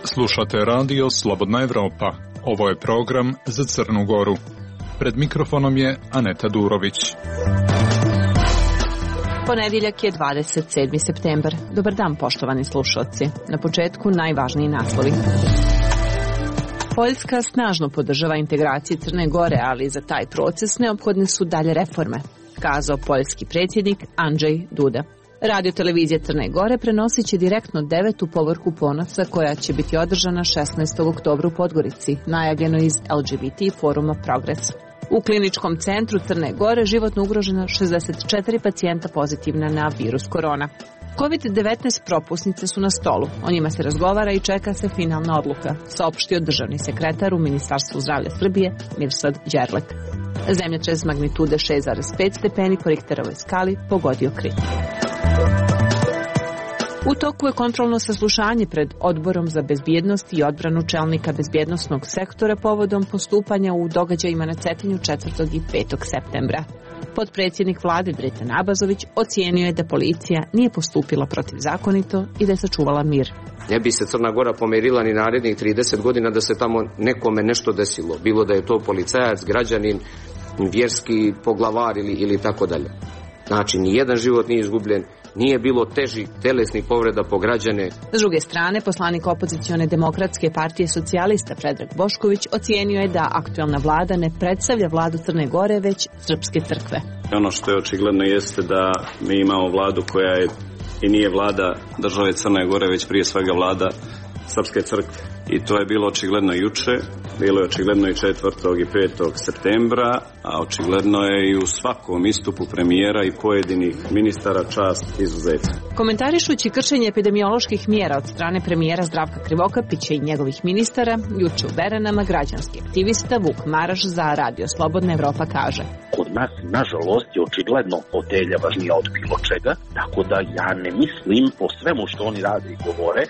Slušate radio Slobodna Evropa. Ovo je program za Crnu Goru. Pred mikrofonom je Aneta Durović. Ponedjeljak je 27. septembar. Dobar dan, poštovani slušalci. Na početku najvažniji naslovi. Poljska snažno podržava integraciju Crne Gore, ali za taj proces neophodne su dalje reforme, kazao poljski predsjednik Andrzej Duda. Radio televizija Crne Gore prenosit će direktno 9. povorku ponosa koja će biti održana 16. oktobra u Podgorici, najavljeno iz LGBT foruma Progres. U kliničkom centru Crne Gore životno ugrožena 64 pacijenta pozitivna na virus korona. COVID-19 propusnice su na stolu, o njima se razgovara i čeka se finalna odluka, saopštio državni sekretar u Ministarstvu zdravlja Srbije Mirsad Đerlek. Zemljotres magnitude 6,5 stepeni po Richterovoj skali pogodio Krim. U toku je kontrolno saslušanje pred Odborom za bezbjednost i odbranu čelnika bezbjednosnog sektora povodom postupanja u događajima na Cetinju 4. i 5. septembra. Potpredsjednik vlade Dritan Abazović ocijenio je da policija nije postupila protivzakonito i da je sačuvala mir. Ne bi se Crna Gora pomerila ni narednih 30 godina da se tamo nekome nešto desilo. Bilo da je to policajac, građanin, vjerski poglavar ili tako dalje. Znači, nijedan život nije izgubljen, nije bilo težih telesnih povreda po građane. S druge strane, poslanik opozicione demokratske partije socijalista Predrag Bošković ocijenio je da aktualna vlada ne predstavlja vladu Crne Gore, već srpske crkve. Ono što je očigledno jeste da mi imamo vladu koja je i nije vlada države Crne Gore, već prije svega vlada srpske crkve. I to je bilo očigledno juče, bilo je očigledno i 4. i 5. septembra, a očigledno je i u svakom istupu premijera i pojedinih ministara čast izuzeća. Komentarišući kršenje epidemioloških mjera od strane premijera Zdravka Krivokapića i njegovih ministara, juče u Beranama građanski aktivista Vuk Maraš za Radio Slobodna Evropa kaže: Kod nas, nažalost, je očigledno fotelja važnija od bilo čega, tako da ja ne mislim po svemu što oni rade i govore,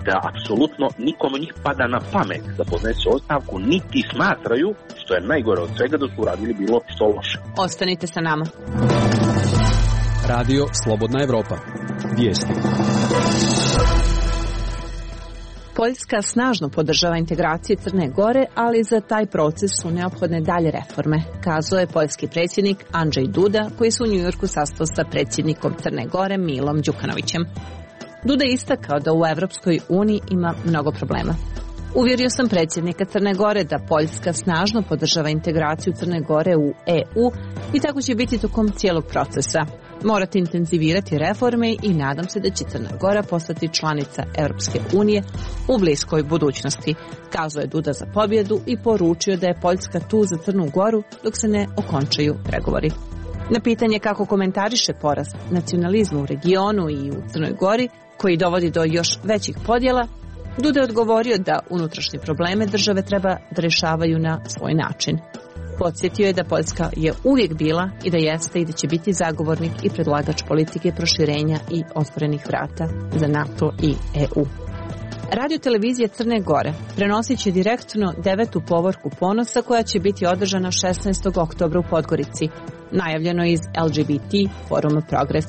da apsolutno nikome njih pada na pamet da podnese ostavku, niti smatraju, što je najgore od svega, da su uradili bilo što loše. Ostanite sa nama. Radio Slobodna Evropa. Vijesti. Poljska snažno podržava integraciju Crne Gore, ali za taj proces su neophodne dalje reforme, kazao je poljski predsjednik Andrzej Duda, koji se u Njujorku sastao sa predsjednikom Crne Gore Milom Đukanovićem. Duda je istakao da u Evropskoj uniji ima mnogo problema. Uvjerio sam predsjednika Crne Gore da Poljska snažno podržava integraciju Crne Gore u EU i tako će biti tokom cijelog procesa. Morate intenzivirati reforme i nadam se da će Crna Gora postati članica Europske unije u bliskoj budućnosti, kazao je Duda za pobjedu i poručio da je Poljska tu za Crnu Goru dok se ne okončaju pregovori. Na pitanje kako komentariše porast nacionalizma u regionu i u Crnoj Gori, koji dovodi do još većih podjela, Duda je odgovorio da unutrašnje probleme države treba da rješavaju na svoj način. Podsjetio je da Poljska je uvijek bila i da jeste i da će biti zagovornik i predlagač politike proširenja i otvorenih vrata za NATO i EU. Radio televizija Crne Gore prenosit će direktno 9. povorku ponosa koja će biti održana 16. oktobra u Podgorici, najavljeno iz LGBT foruma Progres.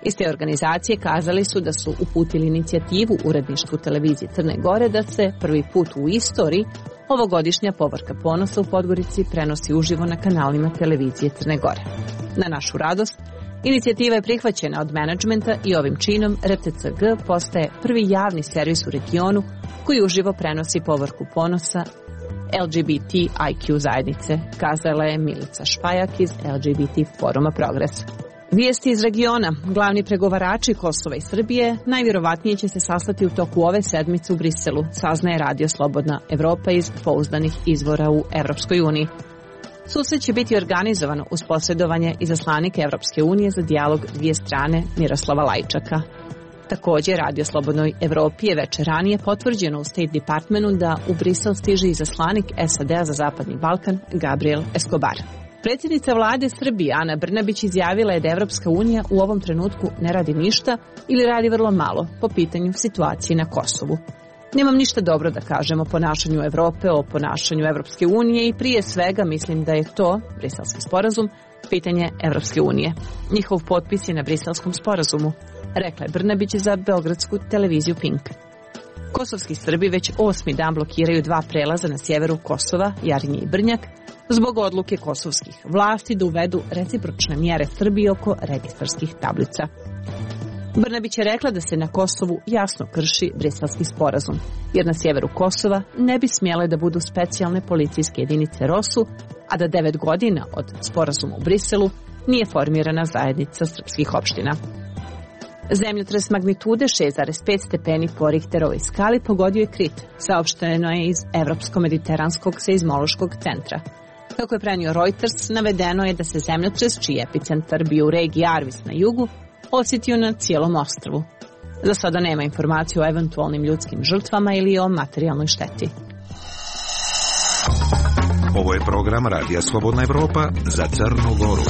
Iz te organizacije kazali su da su uputili inicijativu uredništvu televizije Crne Gore da se prvi put u istoriji ovogodišnja povorka ponosa u Podgorici prenosi uživo na kanalima televizije Crne Gore. Na našu radost, inicijativa je prihvaćena od menadžmenta i ovim činom RTCG postaje prvi javni servis u regionu koji uživo prenosi povorku ponosa LGBTIQ zajednice, kazala je Milica Špajak iz LGBT foruma Progres. Vijesti iz regiona. Glavni pregovarači Kosova i Srbije najvjerovatnije će se sastati u toku ove sedmice u Briselu, saznaje Radio Slobodna Evropa iz pouzdanih izvora u Evropskoj uniji. Susret će biti organizovan uz posredovanje izaslanika Evropske unije za dijalog dvije strane Miroslava Lajčaka. Također, Radio Slobodnoj Evropi je večer ranije potvrđeno u State Departmentu da u Brisel stiže izaslanik SAD-a za Zapadni Balkan Gabriel Escobar. Predsjednica vlade Srbije Ana Brnabić izjavila je da Evropska unija u ovom trenutku ne radi ništa ili radi vrlo malo po pitanju situacije na Kosovu. Nemam ništa dobro da kažem o ponašanju Evrope, o ponašanju Evropske unije i prije svega mislim da je to, Briselski sporazum, pitanje Evropske unije. Njihov potpis je na Briselskom sporazumu, rekla je Brnabić za beogradsku televiziju Pink. Kosovski Srbi već 8. dan blokiraju 2 prelaza na sjeveru Kosova, Jarinje i Brnjak, zbog odluke kosovskih vlasti da uvedu recipročne mjere Srbiji oko registarskih tablica. Brnabić je rekla da se na Kosovu jasno krši Briselski sporazum, jer na sjeveru Kosova ne bi smjele da budu specijalne policijske jedinice ROSU, a da 9 godina od sporazuma u Briselu nije formirana zajednica srpskih opština. Zemljotres magnitude 6,5 stepeni po Richterovoj skali pogodio je Krit, saopšteno je iz Evropsko-mediteranskog seizmološkog centra. Kako je prenio Reuters, navedeno je da se zemljotres, čiji epicentar bio u regiji Arvis na jugu, osjetio na cijelom ostrvu. Za sada nema informacije o eventualnim ljudskim žrtvama ili o materijalnoj šteti. Ovo je program Radija Slobodna Evropa za Crnu Goru.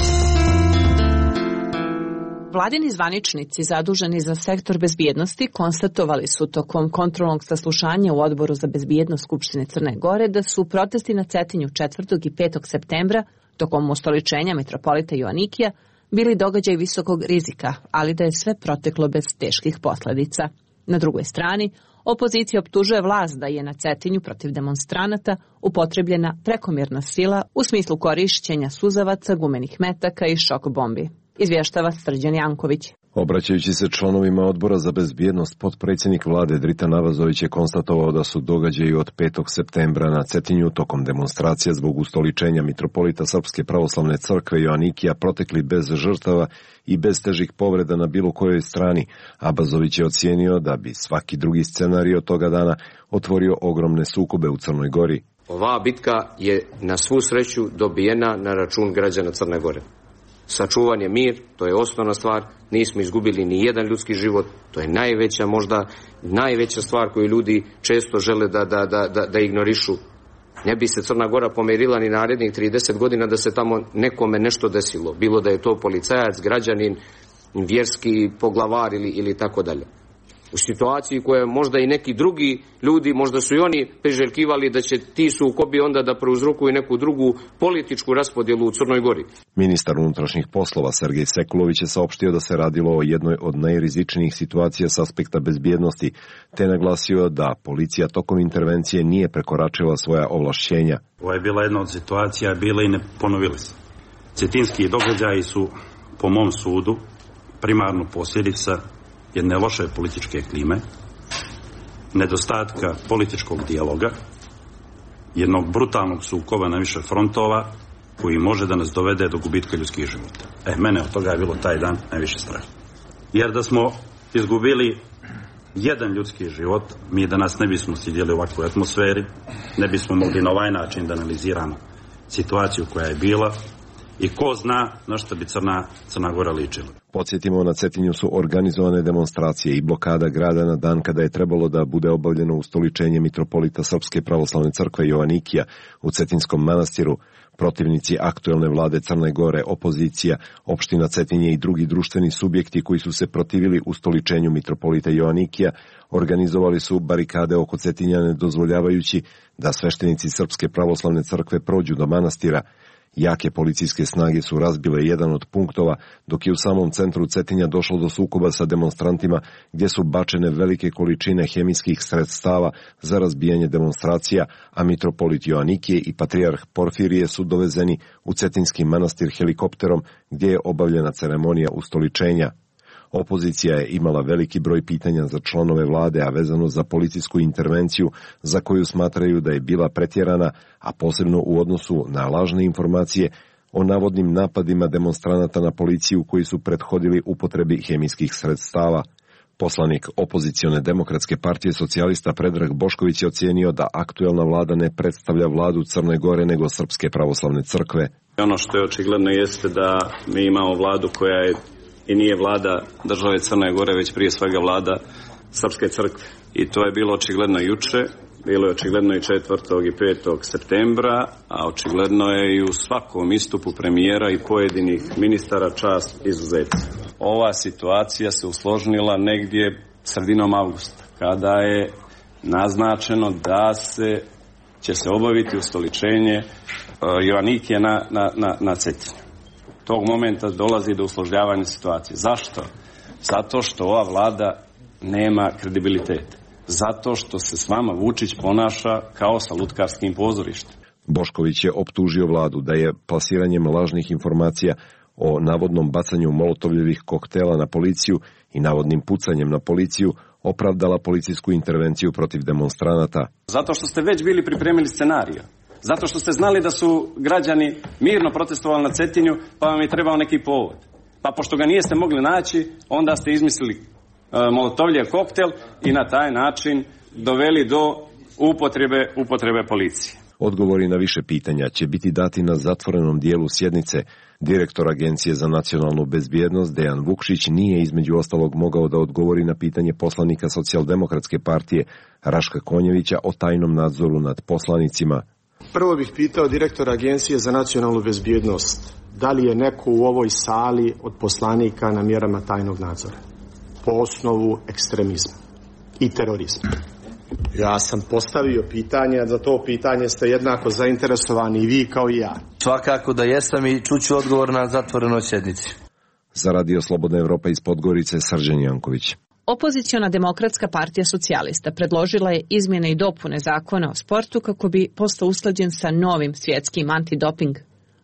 Vladini zvaničnici zaduženi za sektor bezbjednosti konstatovali su tokom kontrolnog saslušanja u Odboru za bezbjednost Skupštine Crne Gore da su protesti na Cetinju 4. i 5. septembra tokom ustoličenja mitropolita Joanikija bili događaj visokog rizika, ali da je sve proteklo bez teških posljedica. Na drugoj strani, opozicija optužuje vlast da je na Cetinju protiv demonstranata upotrebljena prekomjerna sila u smislu korišćenja suzavaca, gumenih metaka i šok bombi. Izvještava Srđan Janković. Obraćajući se članovima Odbora za bezbjednost, potpredsjednik vlade Dritan Navazović je konstatovao da su događaji od 5. septembra na Cetinju tokom demonstracija zbog ustoličenja mitropolita Srpske pravoslavne crkve Joanikija protekli bez žrtava i bez težih povreda na bilo kojoj strani. Abazović je ocijenio da bi svaki drugi scenario toga dana otvorio ogromne sukobe u Crnoj Gori. Ova bitka je na svu sreću dobijena na račun građana Crne Gore. Sačuvan je mir, to je osnovna stvar, nismo izgubili ni jedan ljudski život, to je najveća stvar koju ljudi često žele da ignorišu. Ne bi se Crna Gora pomerila ni narednih 30 godina da se tamo nekome nešto desilo, bilo da je to policajac, građanin, vjerski poglavar ili tako dalje. U situaciji koje možda i neki drugi ljudi, možda su i oni priželjkivali da će ti sukobi onda da prouzrokuju neku drugu političku raspodjelu u Crnoj Gori. Ministar unutrašnjih poslova Sergej Sekulović je saopštio da se radilo o jednoj od najrizičnijih situacija s aspekta bezbjednosti, te naglasio da policija tokom intervencije nije prekoračila svoja ovlašćenja. Ovo je bila jedna od situacija, bila i ne ponovili se. Cetinski događaji su, po mom sudu, primarno posljedica jedne loše političke klime, nedostatka političkog dijaloga, jednog brutalnog sukoba na više frontova koji može da nas dovede do gubitka ljudskih života. Mene od toga je bilo taj dan najviše strah. Jer da smo izgubili jedan ljudski život, mi danas ne bismo sjedili u ovakvoj atmosferi, ne bismo mogli na ovaj način da analiziramo situaciju koja je bila i ko zna na što bi Crna Gora ličila. Podsjetimo, na Cetinju su organizovane demonstracije i blokada grada na dan kada je trebalo da bude obavljeno ustoličenje mitropolita Srpske pravoslavne crkve Joanikija u Cetinskom manastiru. Protivnici aktuelne vlade Crne Gore, opozicija, opština Cetinje i drugi društveni subjekti koji su se protivili ustoličenju mitropolita Joanikija organizovali su barikade oko Cetinja, ne dozvoljavajući da sveštenici Srpske pravoslavne crkve prođu do manastira. Jake policijske snage su razbile jedan od punktova, dok je u samom centru Cetinja došlo do sukoba sa demonstrantima gdje su bačene velike količine hemijskih sredstava za razbijanje demonstracija, a mitropolit Joanikije i patrijarh Porfirije su dovezeni u Cetinski manastir helikopterom gdje je obavljena ceremonija ustoličenja. Opozicija je imala veliki broj pitanja za članove vlade, a vezano za policijsku intervenciju za koju smatraju da je bila pretjerana, a posebno u odnosu na lažne informacije o navodnim napadima demonstranata na policiju koji su prethodili upotrebi hemijskih sredstava. Poslanik opozicione demokratske partije socijalista Predrag Bošković je ocijenio da aktuelna vlada ne predstavlja vladu Crne Gore nego Srpske pravoslavne crkve. Ono što je očigledno jeste da mi imamo vladu koja je i nije vlada države Crne Gore, već prije svega vlada Srpske crkve. I to je bilo očigledno juče, bilo je očigledno i 4. i 5. septembra, a očigledno je i u svakom istupu premijera i pojedinih ministara, čast izuzetna. Ova situacija se usložnila negdje sredinom avgusta, kada je naznačeno da će se obaviti ustoličenje Joanikije na Cetinju. tog momenta dolazi do usložnjavanja situacije. Zašto? Zato što ova vlada nema kredibilitet. Zato što se s vama Vučić ponaša kao sa lutkarskim pozorištem. Bošković je optužio vladu da je plasiranjem lažnih informacija o navodnom bacanju molotovljevih koktela na policiju i navodnim pucanjem na policiju opravdala policijsku intervenciju protiv demonstranata. Zato što ste već bili pripremili scenarij. Zato što ste znali da su građani mirno protestovali na Cetinju, pa vam je trebao neki povod. Pa pošto ga niste mogli naći, onda ste izmislili molotovljev koktel i na taj način doveli do upotrebe policije. Odgovori na više pitanja će biti dati na zatvorenom dijelu sjednice. Direktor Agencije za nacionalnu bezbjednost Dejan Vukšić nije između ostalog mogao da odgovori na pitanje poslanika Socijaldemokratske partije Raška Konjevića o tajnom nadzoru nad poslanicima. Prvo bih pitao direktora Agencije za nacionalnu bezbjednost, da li je neko u ovoj sali od poslanika na mjerama tajnog nadzora po osnovu ekstremizma i terorizma. Ja sam postavio pitanje, a za to pitanje ste jednako zainteresovani i vi kao i ja. Svakako da jesam i čuću odgovor na zatvorenoj sjednici. Za Radio Slobodna Evropa iz Podgorice, Srđan Janković. Opoziciona Demokratska partija socijalista predložila je izmjene i dopune zakona o sportu kako bi postao usklađen sa novim svjetskim antidoping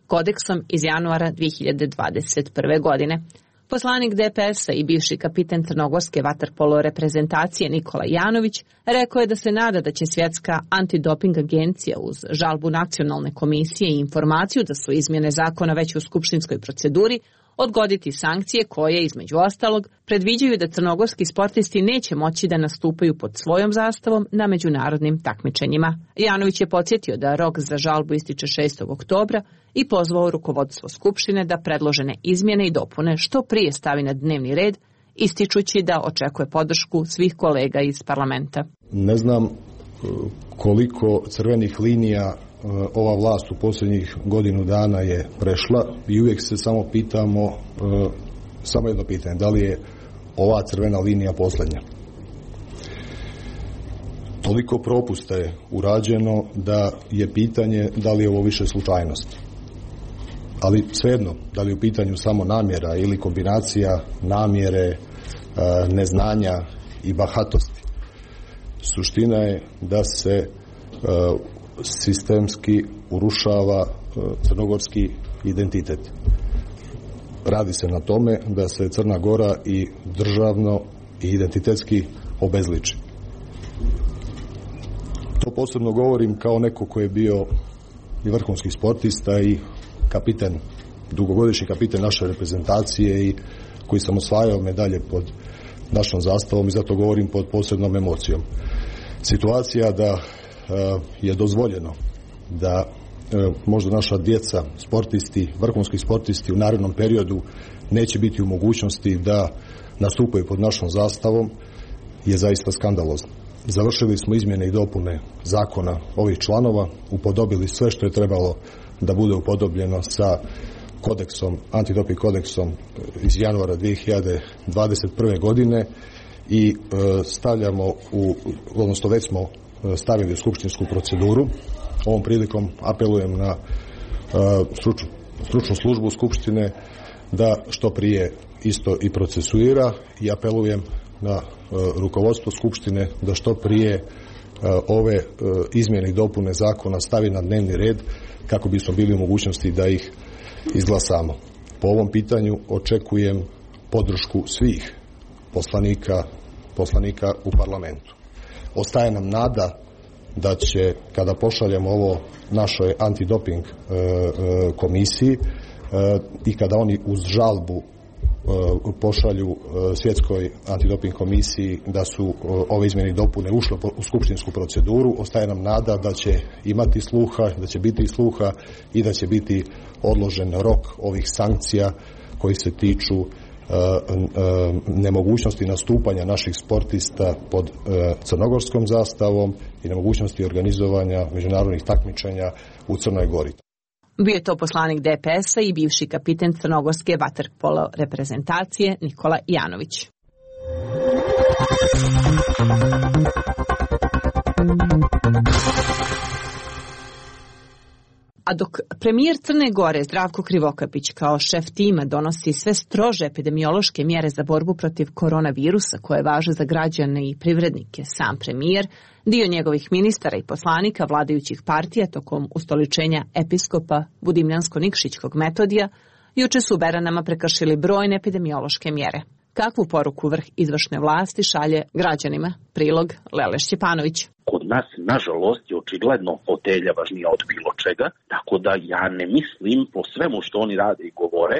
kodeksom iz januara 2021. godine. Poslanik DPS-a i bivši kapiten crnogorske vaterpolo reprezentacije Nikola Janović rekao je da se nada da će svjetska antidoping agencija uz žalbu nacionalne komisije i informaciju da su izmjene zakona već u skupštinskoj proceduri odgoditi sankcije koje, između ostalog, predviđaju da crnogorski sportisti neće moći da nastupaju pod svojom zastavom na međunarodnim takmičenjima. Janović je podsjetio da rok za žalbu ističe 6. oktobra i pozvao rukovodstvo Skupštine da predložene izmjene i dopune što prije stavi na dnevni red, ističući da očekuje podršku svih kolega iz parlamenta. Ne znam koliko crvenih linija ova vlast u posljednjih godinu dana je prešla i uvijek se samo pitamo, samo jedno pitanje, da li je ova crvena linija posljednja? Toliko propusta je urađeno da je pitanje da li je ovo više slučajnost. Ali svejedno, da li je u pitanju samo namjera ili kombinacija namjere, neznanja i bahatosti. Suština je da se sistemski urušava crnogorski identitet. Radi se na tome da se Crna Gora i državno i identitetski obezliči. To posebno govorim kao neko koji je bio i vrhunski sportista i kapiten, dugogodišnji kapiten naše reprezentacije i koji sam osvajao medalje pod našom zastavom i zato govorim pod posebnom emocijom. Situacija da je dozvoljeno da možda naša djeca, sportisti, vrhunski sportisti u narednom periodu neće biti u mogućnosti da nastupaju pod našom zastavom je zaista skandalozno. Završili smo izmjene i dopune zakona ovih članova, upodobili sve što je trebalo da bude upodobljeno sa kodeksom, antidoping kodeksom iz januara 2021. godine i stavljamo odnosno već smo stavili u skupštinsku proceduru. Ovom prilikom apelujem na stručnu službu Skupštine da što prije isto i procesuira i apelujem na rukovodstvo Skupštine da što prije ove izmjene i dopune zakona stavi na dnevni red kako bismo bili u mogućnosti da ih izglasamo. Po ovom pitanju očekujem podršku svih poslanika u parlamentu. Ostaje nam nada da će, kada pošaljemo ovo našoj antidoping komisiji i kada oni uz žalbu pošalju svjetskoj antidoping komisiji da su ove izmjene i dopune ušle u skupštinsku proceduru, ostaje nam nada da će imati sluha, da će biti sluha i da će biti odložen rok ovih sankcija koji se tiču nemogućnosti nastupanja naših sportista pod crnogorskom zastavom i nemogućnosti organizovanja međunarodnih takmičenja u Crnoj Gori. Bio je to poslanik DPS-a i bivši kapiten crnogorske vaterpolo reprezentacije Nikola Janović. A dok premijer Crne Gore Zdravko Krivokapić kao šef tima donosi sve strože epidemiološke mjere za borbu protiv koronavirusa koje važe za građane i privrednike, sam premijer, dio njegovih ministara i poslanika vladajućih partija tokom ustoličenja episkopa Budimljansko-Nikšićkog Metodija juče su u Beranama prekršili brojne epidemiološke mjere. Kakvu poruku vrh izvršne vlasti šalje građanima? Prilog Lele Šćepanović. Kod nas, nažalost, je očigledno fotelja važnija od bilo čega, tako da ja ne mislim po svemu što oni rade i govore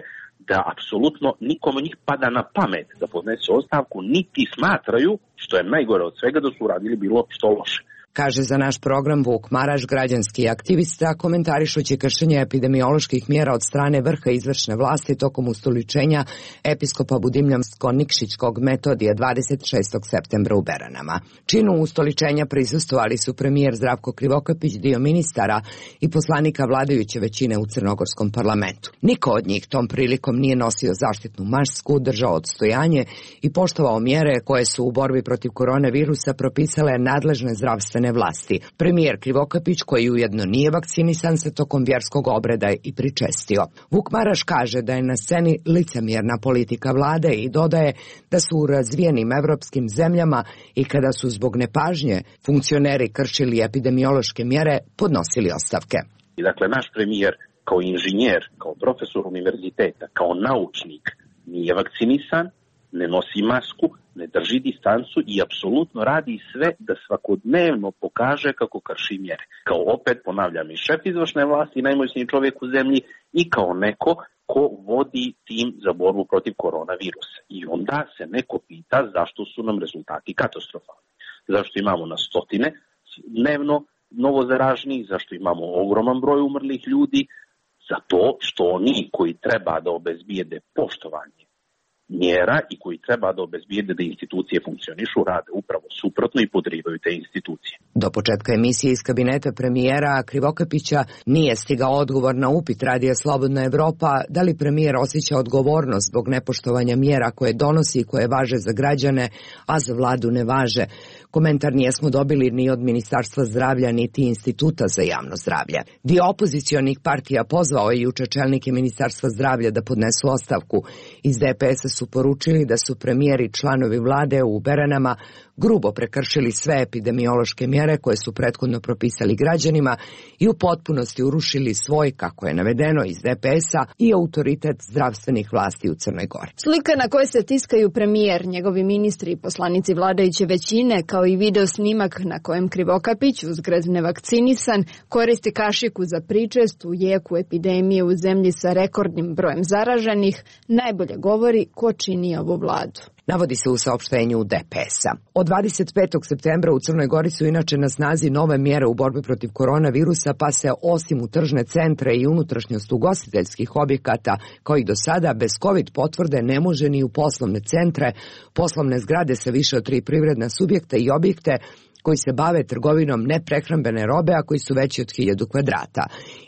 da apsolutno nikome njih pada na pamet da podnese ostavku, niti smatraju, što je najgore od svega, da su uradili bilo što loše. Kaže za naš program Vuk Maraš, građanski aktivista, komentarišući kršenje epidemioloških mjera od strane vrha izvršne vlasti tokom ustoličenja episkopa Budimljansko-Nikšićkog Metodija 26. septembra u Beranama. Činu ustoličenja prisustvovali su premijer Zdravko Krivokapić, dio ministara i poslanika vladajuće većine u crnogorskom parlamentu. Niko od njih tom prilikom nije nosio zaštitnu masku, držao odstojanje i poštovao mjere koje su u borbi protiv koronavirusa propisale nadležne zdravstvene vlasti. Premijer Krivokapić, koji ujedno nije vakcinisan, se tokom vjerskog obreda i pričestio. Vuk Maraš kaže da je na sceni licemjerna politika vlade i dodaje da su u razvijenim evropskim zemljama i kada su zbog nepažnje funkcioneri kršili epidemiološke mjere, podnosili ostavke. Dakle, naš premijer kao inženjer, kao profesor univerziteta, kao naučnik nije vakcinisan, ne nosi masku, ne drži distancu i apsolutno radi sve da svakodnevno pokaže kako krši mjere. Kao opet, ponavljam, i šef izvršne vlasti, najmoćniji čovjek u zemlji i kao neko ko vodi tim za borbu protiv koronavirusa. I onda se neko pita zašto su nam rezultati katastrofalni. Zašto imamo na stotine dnevno novozaraženih, zašto imamo ogroman broj umrlih ljudi, zato što oni koji treba da obezbijede poštovanje mjera i koji treba da obezbijede da institucije funkcionišu, rade upravo suprotno i podrivaju te institucije. Do početka emisije iz kabineta premijera Krivokapića nije stigao odgovor na upit Radija Slobodna Evropa da li premijer osjeća odgovornost zbog nepoštovanja mjera koje donosi i koje važe za građane, a za vladu ne važe. Komentar nijesmo dobili ni od Ministarstva zdravlja niti Instituta za javno zdravlje. Dio opozicionih partija pozvao je juče čelnike Ministarstva zdravlja da podnesu ostavku. Iz DPS-a su poručili da su premijer i članovi vlade u Beranama grubo prekršili sve epidemiološke mjere koje su prethodno propisali građanima i u potpunosti urušili svoj, kako je navedeno iz DPS-a, i autoritet zdravstvenih vlasti u Crnoj Gori. Slika na kojoj se tiskaju premijer, njegovi ministri i poslanici vladajuće većine, kao i video snimak na kojem Krivokapić, uzgred nevakcinisan, koristi kašiku za pričest u jeku epidemije u zemlji sa rekordnim brojem zaraženih, najbolje govori ko čini ovu vladu. Navodi se u saopštenju DPS-a. Od 25. septembra u Crnoj Gori su inače na snazi nove mjere u borbi protiv koronavirusa, pa se osim u tržne centre i unutrašnjost ugostiteljskih objekata, kao i do sada, bez COVID potvrde ne može ni u poslovne centre, poslovne zgrade sa više od 3 privredna subjekta i objekte koji se bave trgovinom neprehrambene robe, a koji su veći od 1000 kvadrata.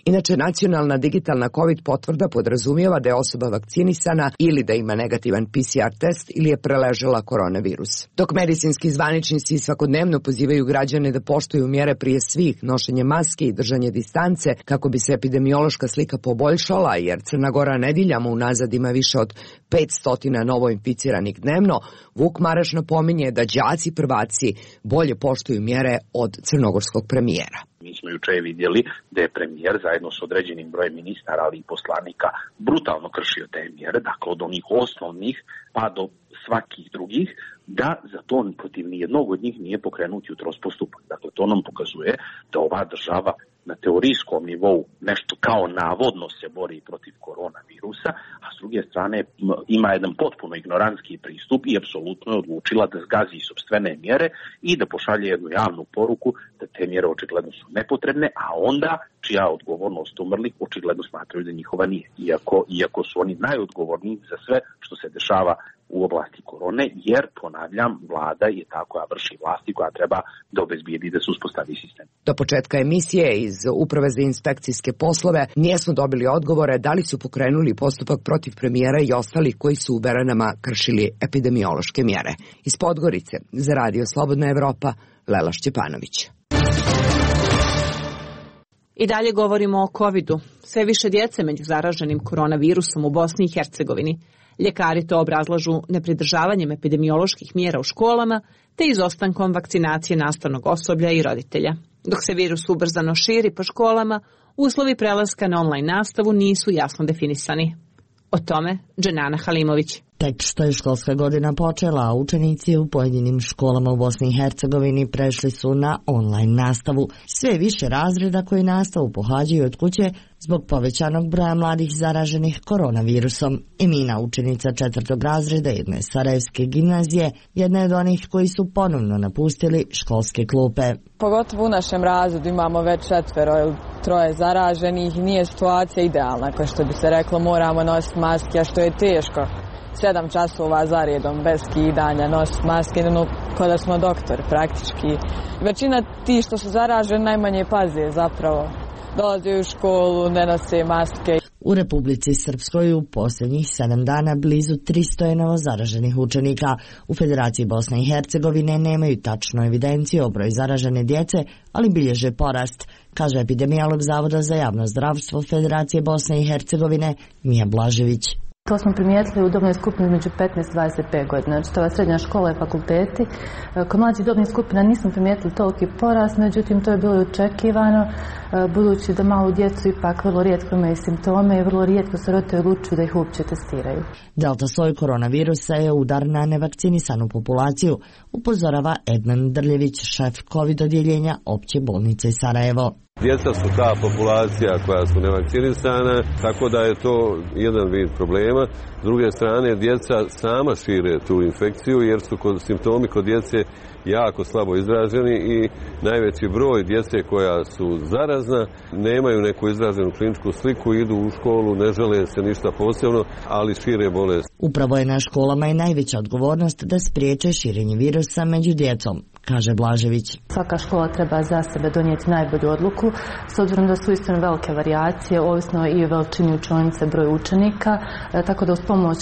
Inače, nacionalna digitalna COVID potvrda podrazumijeva da je osoba vakcinisana ili da ima negativan PCR test ili je preležala koronavirus. Dok medicinski zvaničnici svakodnevno pozivaju građane da poštuju mjere prije svih, nošenje maske i držanje distance, kako bi se epidemiološka slika poboljšala, jer Crna Gora nedeljama unazad ima više od 500 novo inficiranih dnevno, Vuk Maraš napominje da đaci prvaci bolje poštuju mjere od crnogorskog premijera. Mi smo juče vidjeli da je premijer zajedno s određenim brojem ministara, ali i poslanika, brutalno kršio te mjere, dakle od onih osnovnih pa do svakih drugih, da za to protiv nijednog od njih nije pokrenut jutros postupak. Dakle, to nam pokazuje da ova država na teorijskom nivou nešto kao navodno se bori protiv koronavirusa, a s druge strane ima jedan potpuno ignorantski pristup i apsolutno je odlučila da zgazi sopstvene mjere i da pošalje jednu javnu poruku da te mjere očigledno su nepotrebne, a onda čija odgovornost umrlih očigledno smatraju da njihova nije. Iako su oni najodgovorniji za sve što se dešava u oblasti korone, jer, ponavljam, vlada je ta koja vrši vlasti, koja treba da obezbijedi da se uspostavi sistem. Do početka emisije iz Uprave za inspekcijske poslove nijesmo dobili odgovore da li su pokrenuli postupak protiv premijera i ostalih koji su u Beranama kršili epidemiološke mjere. Iz Podgorice, za Radio Slobodna Evropa, Lela Šćepanović. I dalje govorimo o covidu. Sve više djece među zaraženim koronavirusom u Bosni i Hercegovini. Ljekari to obrazlažu nepridržavanjem epidemioloških mjera u školama te izostankom vakcinacije nastavnog osoblja i roditelja. Dok se virus ubrzano širi po školama, uslovi prelaska na online nastavu nisu jasno definisani. O tome Dženana Halimović. Tek što je školska godina počela, a učenici u pojedinim školama u Bosni i Hercegovini prešli su na online nastavu. Sve više razreda koji nastavu pohađaju od kuće zbog povećanog broja mladih zaraženih koronavirusom. Emina, učenica 4. razreda jedne sarajevske gimnazije, jedna je od onih koji su ponovno napustili školske klupe. Pogotovo u našem razredu imamo već 4 ili 3 zaraženih, nije situacija idealna, kao što bi se reklo, moramo nositi maske, a što je teško. 7 časova za redom, bez skidanja, nositi maske, kao da smo doktor praktički. Većina ti što su zaraženi najmanje paze zapravo. Dolaze u školu, ne nose maske. U Republici Srpskoj u posljednjih 7 dana blizu 300 je novozaraženih učenika. U Federaciji Bosne i Hercegovine nemaju tačnu evidenciju o broju zaražene djece, ali bilježe porast, kaže epidemiolog Zavoda za javno zdravstvo Federacije Bosne i Hercegovine Mija Blažević. To smo primijetili u dobnoj skupini među 15 i 25 godina, znači to je srednja škola i fakulteti. Kod mlađih dobnih skupina nismo primijetili toliki porast, međutim to je bilo očekivano, budući da malu djecu ipak vrlo rijetko imaju simptome i vrlo rijetko se roditelji odlučuju da ih uopće testiraju. Delta soj koronavirusa je udar na nevakcinisanu populaciju, upozorava Edman Drljević, šef COVID odjeljenja Opće bolnice Sarajevo. Djeca su ta populacija koja su nevakcinisana, tako da je to jedan vid problema. S druge strane, djeca sama šire tu infekciju jer su simptomi kod djece jako slabo izraženi i najveći broj djece koja su zarazna nemaju neku izraženu kliničku sliku, idu u školu, ne žele se ništa posebno, ali šire bolest. Upravo je na školama i najveća odgovornost da spriječe širenje virusa među djecom, kaže Blažević. Svaka škola treba za sebe donijeti najbolju odluku, s obzirom da su uistinu velike varijacije, ovisno i o veličini učionice, broj učenika, tako da uz pomoć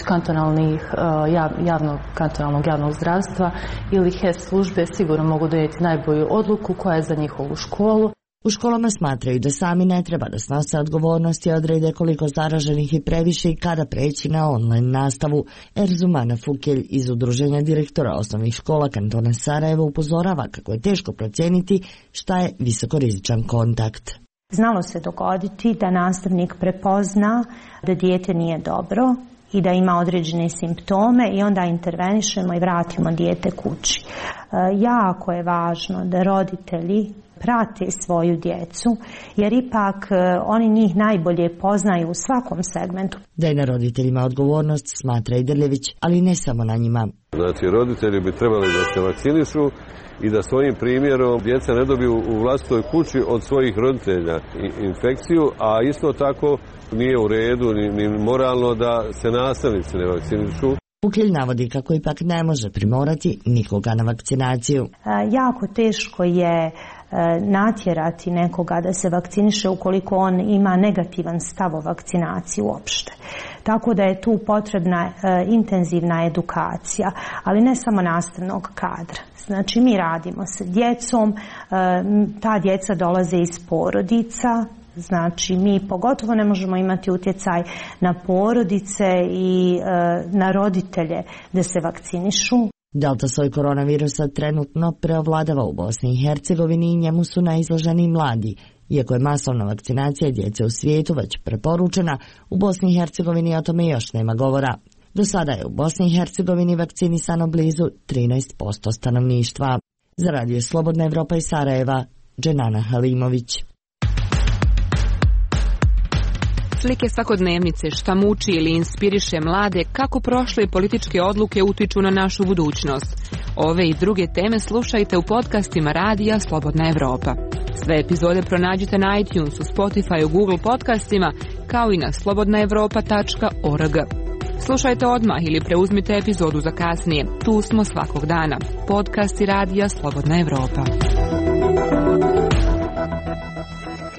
kantonalnog javnog zdravstva ili HES službe sigurno mogu donijeti najbolju odluku koja je za njihovu školu. U školama smatraju da sami ne treba da snose odgovornosti i odrede koliko zaraženih i previše i kada preći na online nastavu. Erzumana Fukelj iz Udruženja direktora osnovnih škola kantona Sarajevo upozorava kako je teško procijeniti šta je visokorizičan kontakt. Znalo se dogoditi da nastavnik prepozna da dijete nije dobro i da ima određene simptome i onda intervenišemo i vratimo dijete kući. Jako je važno da roditelji prate svoju djecu, jer ipak oni njih najbolje poznaju u svakom segmentu. Da je na roditeljima odgovornost, smatra i Drljević, ali ne samo na njima. Znači, roditelji bi trebali da se vakcinišu i da svojim primjerom djeca ne dobiju u vlastitoj kući od svojih roditelja infekciju, a isto tako nije u redu ni moralno da se nastavnici ne vakcinišu. Fukelj navodi kako ipak ne može primorati nikoga na vakcinaciju. Jako teško je natjerati nekoga da se vakciniše ukoliko on ima negativan stav o vakcinaciji uopšte. Tako da je tu potrebna intenzivna edukacija, ali ne samo nastavnog kadra. Znači mi radimo sa djecom, ta djeca dolaze iz porodica, znači mi pogotovo ne možemo imati utjecaj na porodice i na roditelje da se vakcinišu. Delta soj koronavirusa trenutno preovladava u Bosni i Hercegovini i njemu su najizloženi mladi. Iako je masovna vakcinacija djece u svijetu već preporučena, u Bosni i Hercegovini o tome još nema govora. Do sada je u Bosni i Hercegovini vakcinisano blizu 13% stanovništva. Za Radio Slobodna Evropa iz Sarajeva, Dženana Halimović. Slike svakodnevnice, šta muči ili inspiriše mlade, kako prošle političke odluke utiču na našu budućnost. Ove i druge teme slušajte u podcastima Radija Slobodna Evropa. Sve epizode pronađite na iTunesu, Spotifyu, Google podcastima, kao i na slobodnaevropa.org. Slušajte odmah ili preuzmite epizodu za kasnije. Tu smo svakog dana. Podcasti Radija Slobodna Evropa.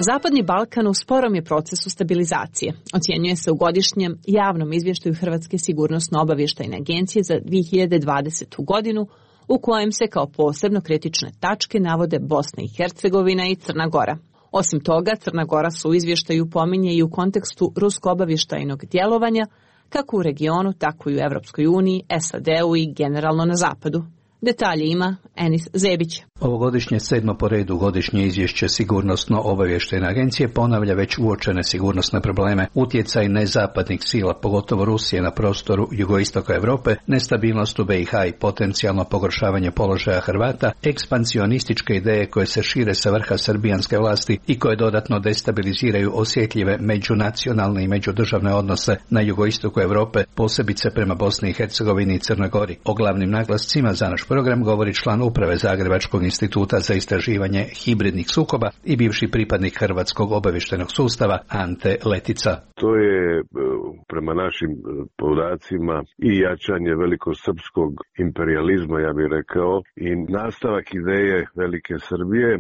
Zapadni Balkan u sporom je procesu stabilizacije. Ocjenjuje se u godišnjem javnom izvještaju Hrvatske sigurnosno-obavještajne agencije za 2020. godinu, u kojem se kao posebno kritične tačke navode Bosna i Hercegovina i Crna Gora. Osim toga, Crna Gora se u izvještaju pominje i u kontekstu rusko-obavještajnog djelovanja, kako u regionu, tako i u Evropskoj uniji, SAD-u i generalno na zapadu. Detalje ima Enis Zebić. Ovogodišnje 7. po redu godišnje izvješće Sigurnosno-obavještajne agencije ponavlja već uočene sigurnosne probleme, utjecaj nezapadnih sila, pogotovo Rusije na prostoru jugoistoka Europe, nestabilnost u BiH i potencijalno pogoršavanje položaja Hrvata, ekspansionističke ideje koje se šire sa vrha srbijanske vlasti i koje dodatno destabiliziraju osjetljive međunacionalne i međudržavne odnose na jugoistoku Europe, posebice prema Bosni i Hercegovini i Crnoj Gori. O glavnim naglascima za naš program govori član uprave Zagrebačkog instituta za istraživanje hibridnih sukoba i bivši pripadnik Hrvatskog obavještajnog sustava Ante Letica. To je prema našim podacima i jačanje velikosrpskog imperijalizma, ja bih rekao, i nastavak ideje Velike Srbije,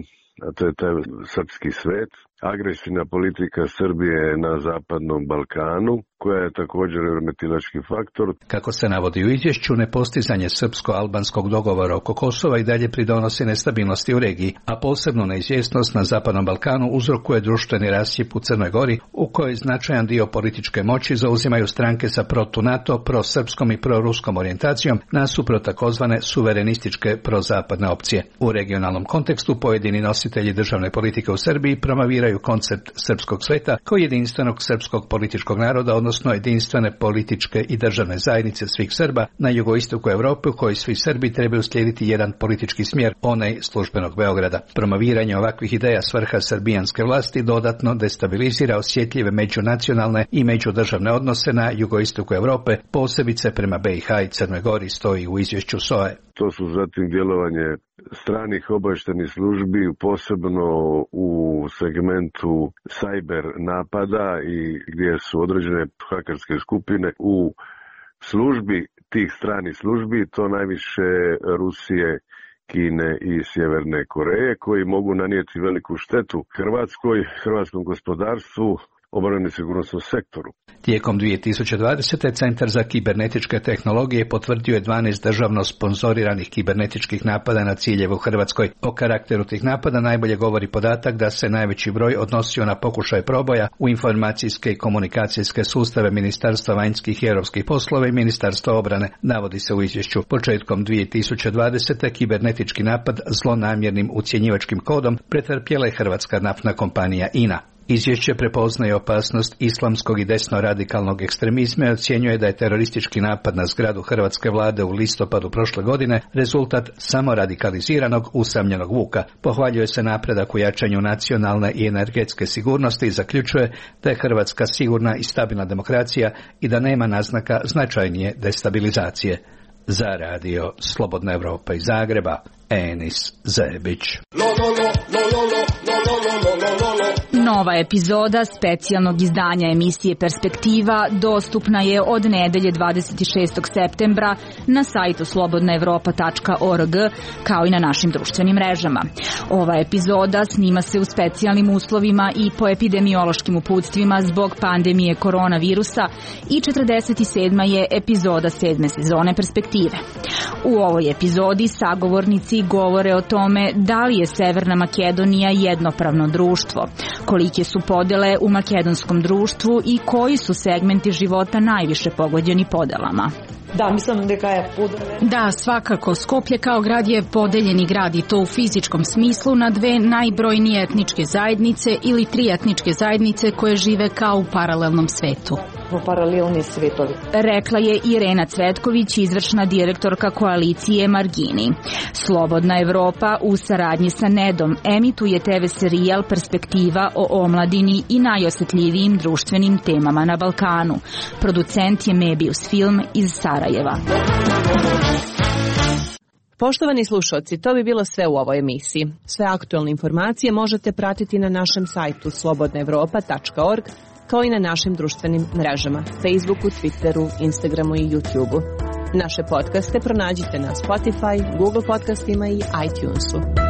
a to je taj srpski svet, agresivna politika Srbije na zapadnom Balkanu, koja je također remetilački faktor. Kako se navodi u izvješću, nepostizanje srpsko-albanskog dogovora oko Kosova i dalje pridonosi nestabilnosti u regiji, a posebno neizvjesnost na zapadnom Balkanu uzrokuje društveni rascjep u Crnoj Gori, u kojoj značajan dio političke moći zauzimaju stranke sa protu-NATO, prosrpskom i proruskom orijentacijom, nasuprot takozvane suverenističke prozapadne opcije. U regionalnom kontekstu pojedini nositelji državne politike u Srbiji promoviraju koncept srpskog sveta kao jedinstvenog srpskog političkog naroda, odnosno jedinstvene političke i državne zajednice svih Srba na jugoistoku Europe, u kojoj svi Srbi trebaju slijediti jedan politički smjer, onaj službenog Beograda. Promoviranje ovakvih ideja s vrha srbijanske vlasti dodatno destabilizira osjetljive međunacionalne i međudržavne odnose na jugoistoku Europe, posebice prema BiH i Crnoj Gori, stoji u izvješću SOA-e. To su zatim djelovanje stranih obavještajnih službi, posebno u segmentu cyber napada i gdje su određene hakerske skupine u službi tih stranih službi, to najviše Rusije, Kine i Sjeverne Koreje, koji mogu nanijeti veliku štetu hrvatskom gospodarstvu, obrani sigurnosnom sektoru. Tijekom 2020. Centar za kibernetičke tehnologije potvrdio je 12 državno sponzoriranih kibernetičkih napada na ciljeve u Hrvatskoj. O karakteru tih napada najbolje govori podatak da se najveći broj odnosio na pokušaj proboja u informacijske i komunikacijske sustave Ministarstva vanjskih i europskih poslova i Ministarstva obrane. Navodi se u izvješću. Početkom 2020. kibernetički napad zlonamjernim ucjenjivačkim kodom pretrpjela je hrvatska naftna kompanija INA. Izvješće prepoznaje opasnost islamskog i desno-radikalnog ekstremizma i ocjenjuje da je teroristički napad na zgradu hrvatske vlade u listopadu prošle godine rezultat samoradikaliziranog usamljenog vuka. Pohvaljuje se napredak u jačanju nacionalne i energetske sigurnosti i zaključuje da je Hrvatska sigurna i stabilna demokracija i da nema naznaka značajnije destabilizacije. Za radio Slobodna Evropa iz Zagreba, Enis Zebić. Nova epizoda specijalnog izdanja emisije Perspektiva dostupna je od nedelje 26. septembra na sajtu slobodnaevropa.org kao i na našim društvenim mrežama. Ova epizoda snima se u specijalnim uslovima i po epidemiološkim uputstvima zbog pandemije koronavirusa i 47. je epizoda 7. sezone Perspektive. U ovoj epizodi sagovornici govore o tome da li je Severna Makedonija jednopravno društvo, kolike su podele u makedonskom društvu i koji su segmenti života najviše pogođeni podelama. Da, mislim da je Da, svakako. Skoplje kao grad je podeljeni grad i to u fizičkom smislu na dve najbrojnije etničke zajednice ili tri etničke zajednice koje žive kao u paralelnom svetu. Paralelni svetovi. Rekla je Irena Cvetković, izvršna direktorka koalicije Margini. Slobodna Evropa u saradnji sa Nedom emituje TV serijal Perspektiva o omladini i najosjetljivijim društvenim temama na Balkanu. Producent je Mebius Film iz Sarajeva. Poštovani slušalci, to bi bilo sve u ovoj emisiji. Sve aktualne informacije možete pratiti na našem sajtu slobodnaevropa.org kao i na našim društvenim mrežama, Facebooku, Twitteru, Instagramu i YouTubeu. Naše podcaste pronađite na Spotify, Google podcastima i iTunesu.